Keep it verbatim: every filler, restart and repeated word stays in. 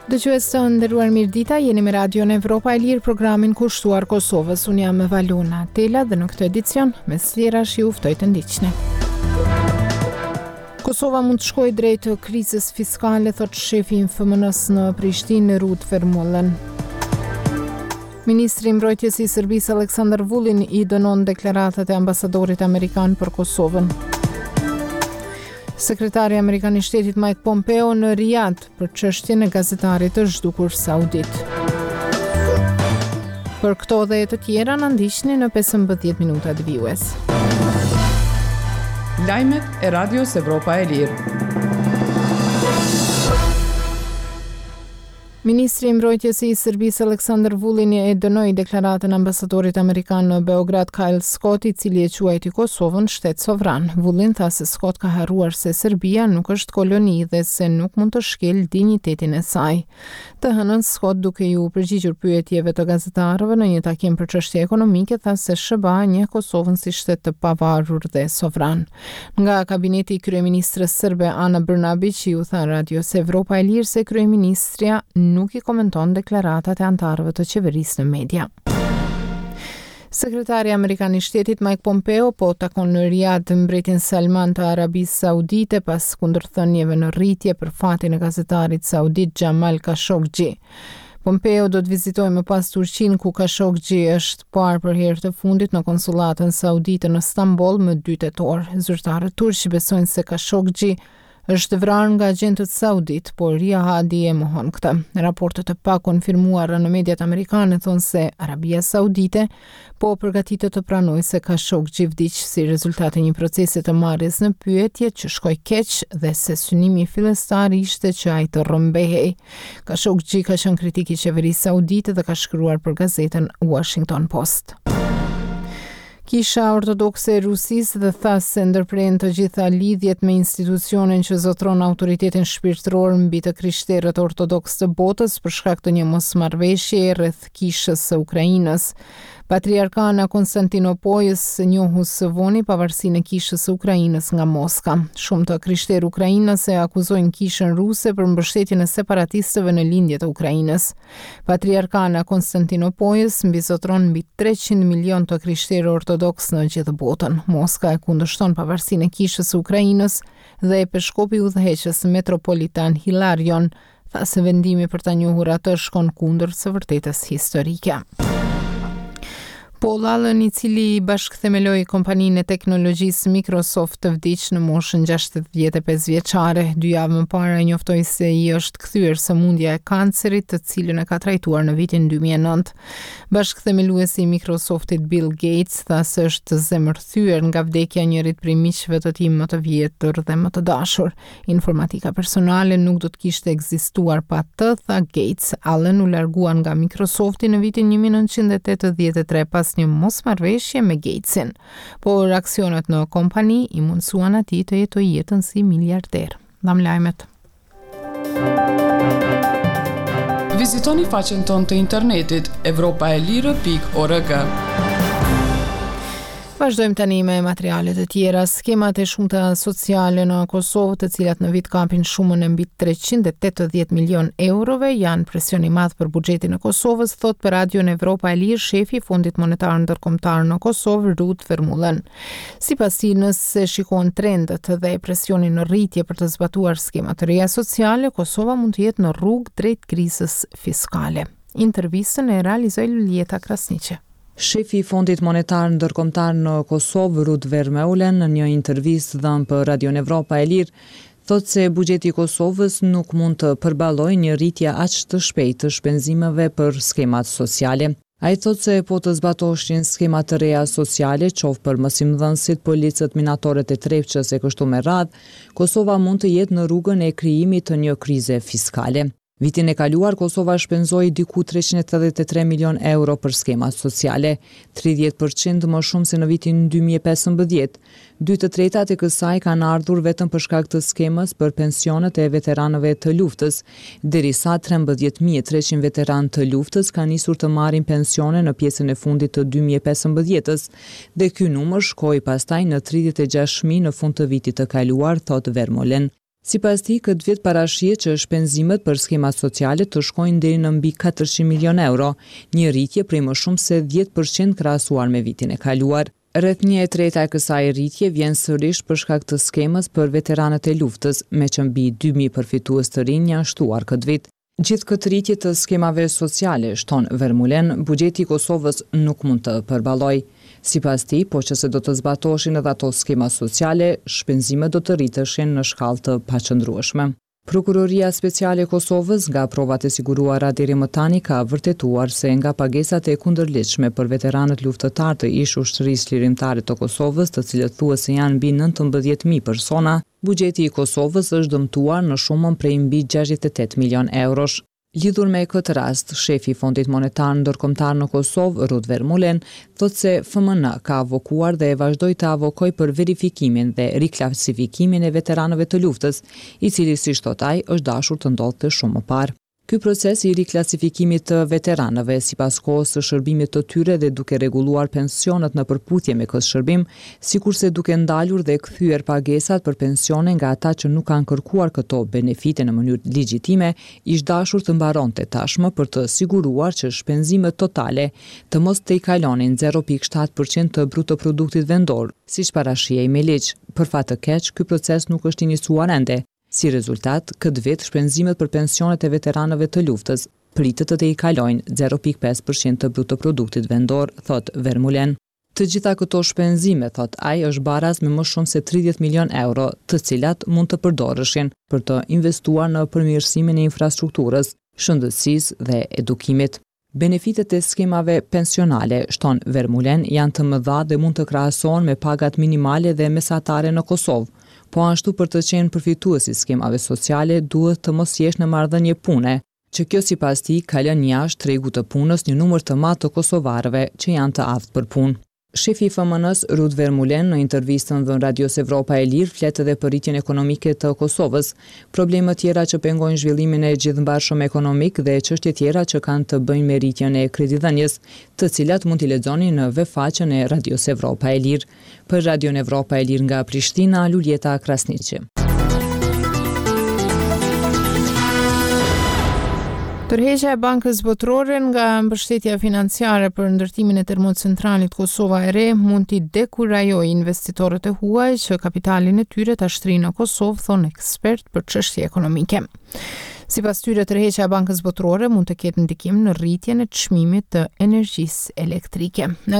Dëgjues të nderuar, mirëdita, jeni me Radion Evropa e Lirë, programin kushtuar Kosovës. Unë jam Valona Tela dhe në këtë edicion, mes tjerash, ju ftoj të ndiqni. Kosova mund të shkojë drejt krizës fiskale, thot shefi i F M N-së në Prishtinë, Ruud Vermeulen. Ministri i Mbrojtjes i Serbisë Aleksandar Vulin i dënon deklaratat e ambasadorit amerikan për Kosovën. Sekretari amerikan i shtetit Mike Pompeo në Riyadh për çështjen e gazetarit të zhdukur saudit. Për këto dhe të tjera na ndiqni në pesëmbëdhjetë minutat vijues. Lajmet e Radios Evropa e Lirë. Ministri i Mbrojtjes i Serbisë Aleksandar Vulin e dënoi deklaratën ambasadorit amerikan në Beograd Kyle Scott, i cili e quajti Kosovën shtet sovran. Vulin tha se Scott ka harruar se Serbia nuk është koloni dhe se nuk mund të shkel dinjitetin e saj. Të hënën, Scott, duke ju përgjigjur pyetjeve të gazetarëve në një takim për çështje ekonomike, tha se S H B A njeh Kosovën si shtet të pavarur dhe sovran. Nga kabineti i kryeministrës serbe Ana Brnabić iu tha Radios Evropa e Lirë se kryeministrja nuk i komenton deklaratat e anëtarëve të qeverisë në media. Sekretari amerikan i shtetit Mike Pompeo po takon në Riyadh mbretin Salman të Arabisë Saudite pas kundërthënieve në rritje për fatin e gazetarit saudit Jamal Khashoggi. Pompeo do të vizitojë më pas Turqinë, ku Khashoggi është parë për herë të fundit në konsullatën saudite në Stamboll më dy tetor. Zyrtarët turq besojnë se Khashoggi është vrarë nga agjentët saudit, por Riyadi e mohon këtë. Raportet e pakonfirmuara në mediat amerikane thonë se Arabia Saudite po përgatitet të pranojë se Khashoggi vdiq si rezultat i një procesi të marrjes në pyetje që shkoi keq dhe se synimi fillestar ishte që ai të rrëmbehej. Khashoggi ka qenë kritik i qeverisë saudite dhe ka shkruar për gazetën Washington Post. Kisha Ortodokse e Rusisë dhe tha se ndërpren të gjitha lidhjet me institucionin që zotron autoritetin shpirtëror mbi të krishterët ortodoks të botës për shkak të një mosmarrëveshjeje rreth kishës së Ukrainës. Patriarkana Konstantinopojës njohu së voni pavarësinë e kishës së Ukrainës nga Moska. Shumë të krishterë ukrainas e akuzojnë kishën ruse për mbështetjen e separatistëve në lindje të Ukrainës. Patriarkana Konstantinopojës mbizotron mbi treqind milion të krishterë ortodoks në gjithë botën. Moska e kundërshton pavarësinë e kishës së Ukrainës dhe peshkopi udhëheqës metropolitan Hilarion tha se vendimi për ta njohur atë shkon kundër së vërtetës historike. Paul Allen, i cili bashkëthemeloi kompaninë e teknologjisë Microsoft, vdiq në moshën gjashtëdhjetë e pesë vjeçare. Dy javë më parë ai njoftoi se i është kthyer sëmundja e kancerit, të cilën e ka trajtuar në vitin dy mijë e nëntë. Bashkëthemeluesi i Microsoftit Bill Gates tha se është zemërthyer nga vdekja e njërit prej miqve të tij më të vjetër dhe më të dashur. "Informatika personale nuk do të kishte ekzistuar pa të", tha Gates. Allen u largua nga Microsofti në vitin një mijë e nëntëqind e tetëdhjetë e tre pas një mosmarrëveshje me Gatesin, por aksionet në kompani i mundësuan atij të jetojë jetën si miliarder. Dam lajmet. Vizitoni faqen tonë të internetit evropaelire pikë org. Vazhdojmë tani me materialet e tjera. Skemat e shumta sociale në Kosovë, të cilat në vit kapin shumën e mbi treqind e tetëdhjetë milion eurove, janë presion i madh për buxhetin e Kosovës, thot për Radion Evropa e Lirë shefi i Fondit Monetar Ndërkombëtar në Kosovë, Ruud Vermeulen. Sipas tij, nëse shikon trendet dhe presionin në rritje për të zbatuar skema të reja sociale, Kosova mund të jetë në rrugë drejt krizës fiskale. Intervistën e realizoi Luljeta Krasniqi. Shefi i Fondit Monetar Ndërkombëtar në Kosovë, Ruud Vermeulen, në një intervistë dhënë për Radion Evropa e Lirë, thotë se buxheti i Kosovës nuk mund të përballojë një rritje aq të shpejtë të shpenzimeve për skemat sociale. Ai thotë se po të zbatoshin skema të reja sociale, qoftë për mësimdhënësit, policët, minatorët e Trepçës e kështu me radhë, Kosova mund të jetë në rrugën e krijimit të një krize fiskale. Vitin e kaluar, Kosova shpenzoi diku treqind e tetëdhjetë e tre milion euro për skemat sociale, tridhjetë për qind më shumë se në vitin dy mijë e pesëmbëdhjetë. Dy të tretat e kësaj kanë ardhur vetëm për shkak të skemës për pensionet e veteranëve të luftës, derisa trembëdhjetë mijë e treqind veteranë të luftës kanë nisur të marrin pensione në pjesën e fundit të dy mijë e pesëmbëdhjetës, dhe ky numër shkoi pastaj në tridhjetë e gjashtë mijë në fund të vitit të kaluar, thotë Vermeulen. Sipas tij, këtë vit parashihet që shpenzimet për skemat sociale të shkojnë deri në mbi katërqind milion euro, një rritje prej më shumë se dhjetë për qind krahasuar me vitin e kaluar. Rreth një e treta e kësaj rritje vjen sërish për shkak të skemës për veteranët e luftës, me që mbi dy mijë përfitues të rinj janë shtuar këtë vit. Gjithë këtë rritje të skemave sociale, shton Vermeulen, buxheti i Kosovës nuk mund të përballojë. Sipas tij, po që se do të zbatoshin edhe ato skema sociale, shpenzimet do të rriteshin në shkallë të paqëndrueshme. Prokuroria Speciale e Kosovës, nga provat e siguruara deri më tani, ka vërtetuar se nga pagesat e kundërligjshme për veteranët luftëtarë të ish ushtrisë çlirimtare të Kosovës, të cilët thuhet se janë mbi nëntëmbëdhjetë mijë persona, buxheti i Kosovës është dëmtuar në shumën prej mbi gjashtëdhjetë e tetë milion eurosh. Lidhur me këtë rast, shefi i Fondit Monetar Ndërkombëtar në Kosovë, Ruud Vermeulen, thotë se F M N ka avokuar dhe vazhdoi të avokojë për verifikimin dhe riklasifikimin e veteranëve të luftës, i cili, siç thotë ai, është dashur të ndodhte shumë më parë. Ky proces i riklasifikimit të veteranëve sipas kohës së shërbimit të tyre dhe duke rregulluar pensionet në përputhje me këtë shërbim, sikurse duke ndalur dhe kthyer pagesat për pensione nga ata që nuk kanë kërkuar këto benefite në mënyrë legjitime, ish dashur të mbaronte tashmë për të siguruar që shpenzimet totale të mos tejkalonin zero pikë shtatë përqind të bruto produktit vendor, siç parashihej me ligj. Për fat të keq, ky proces nuk është iniciuar ende. Si rezultat, këtë vit shpenzimet për pensionet e veteranëve të luftës pritet të tejkalojnë zero pikë pesë përqind të bruto produktit vendor, thot Vermeulen. Të gjitha këto shpenzime, thot ai, është baraz me më shumë se tridhjetë milion euro, të cilat mund të përdoreshin për të investuar në përmirësimin e infrastrukturës, shëndetësisë dhe edukimit. Benefitet e skemave pensionale, shton Vermeulen, janë të mëdha dhe mund të krahasohen me pagat minimale dhe mesatare në Kosovë. Po ashtu për të qenë përfitues i skemave sociale duhet të mos jesh në marrëdhënie pune, që kjo sipas tij ka lënë jashtë tregut të punës një numër të madh të kosovarëve që janë të aftë për punë. Shefi i F M N-s, Ruud Vermeulen, në intervistën dhënë Radios Evropa e Lirë, flet edhe për rritjen ekonomike të Kosovës, probleme tjera që pengojnë zhvillimin e gjithmbarshëm ekonomik dhe çështje tjera që kanë të bëjnë me rritjen e kredidhënies, të cilat mund t'i lexoni në web faqen e Radios Evropa e Lirë. Për Radion Evropa e Lirë nga Prishtina, Luljeta Krasniqi. Tërheqja e Bankës Botërore nga mbështetja financiare për ndërtimin e termocentralit Kosova e Re mund t'i dekurajojë investitorët e huaj që kapitalin e tyre ta shtrijnë në Kosovë, thonë ekspert për çështje ekonomike. Sipas tyre, tërheqja e Bankës Botërore mund të ketë ndikim në rritjen e çmimit të energjisë elektrike.